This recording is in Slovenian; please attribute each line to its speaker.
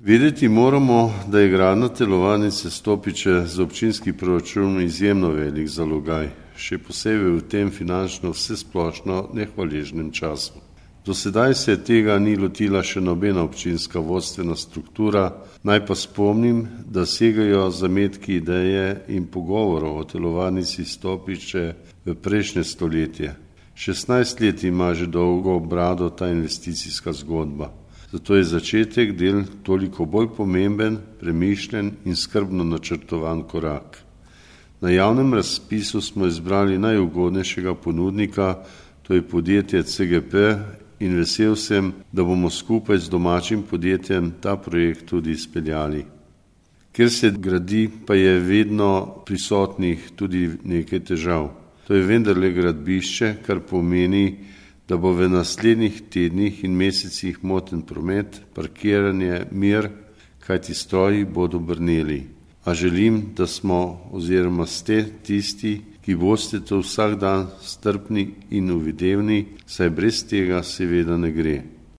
Speaker 1: Vedeti moramo, da je gradnja telovadnice Stopiče za občinski proračun izjemno velik zalogaj, še posebej v tem finančno vsesplošno nehvaležnem času. Do sedaj se tega ni lotila še nobena občinska vodstvena struktura, naj pa spomnim, da segajo zametki ideje in pogovorov o telovadnici Stopiče v prejšnje stoletje. 16 let ima že dolgo brado ta investicijska zgodba. Zato je začetek del toliko bolj pomemben, premišljen in skrbno načrtovan korak. Na javnem razpisu smo izbrali najugodnejšega ponudnika, to je podjetje CGP, in vesel sem, da bomo skupaj z domačim podjetjem ta projekt tudi izpeljali. Ker se gradi, pa je vedno prisotnih tudi nekaj težav. To je vendarle gradbišče, kar pomeni, da bo v naslednjih tednih in mesecih moten promet, parkiranje, mir, kajti stroji bodo brneli. A želim, da smo oziroma ste tisti, ki boste to vsak dan strpni in uvidevni, saj brez tega seveda ne gre.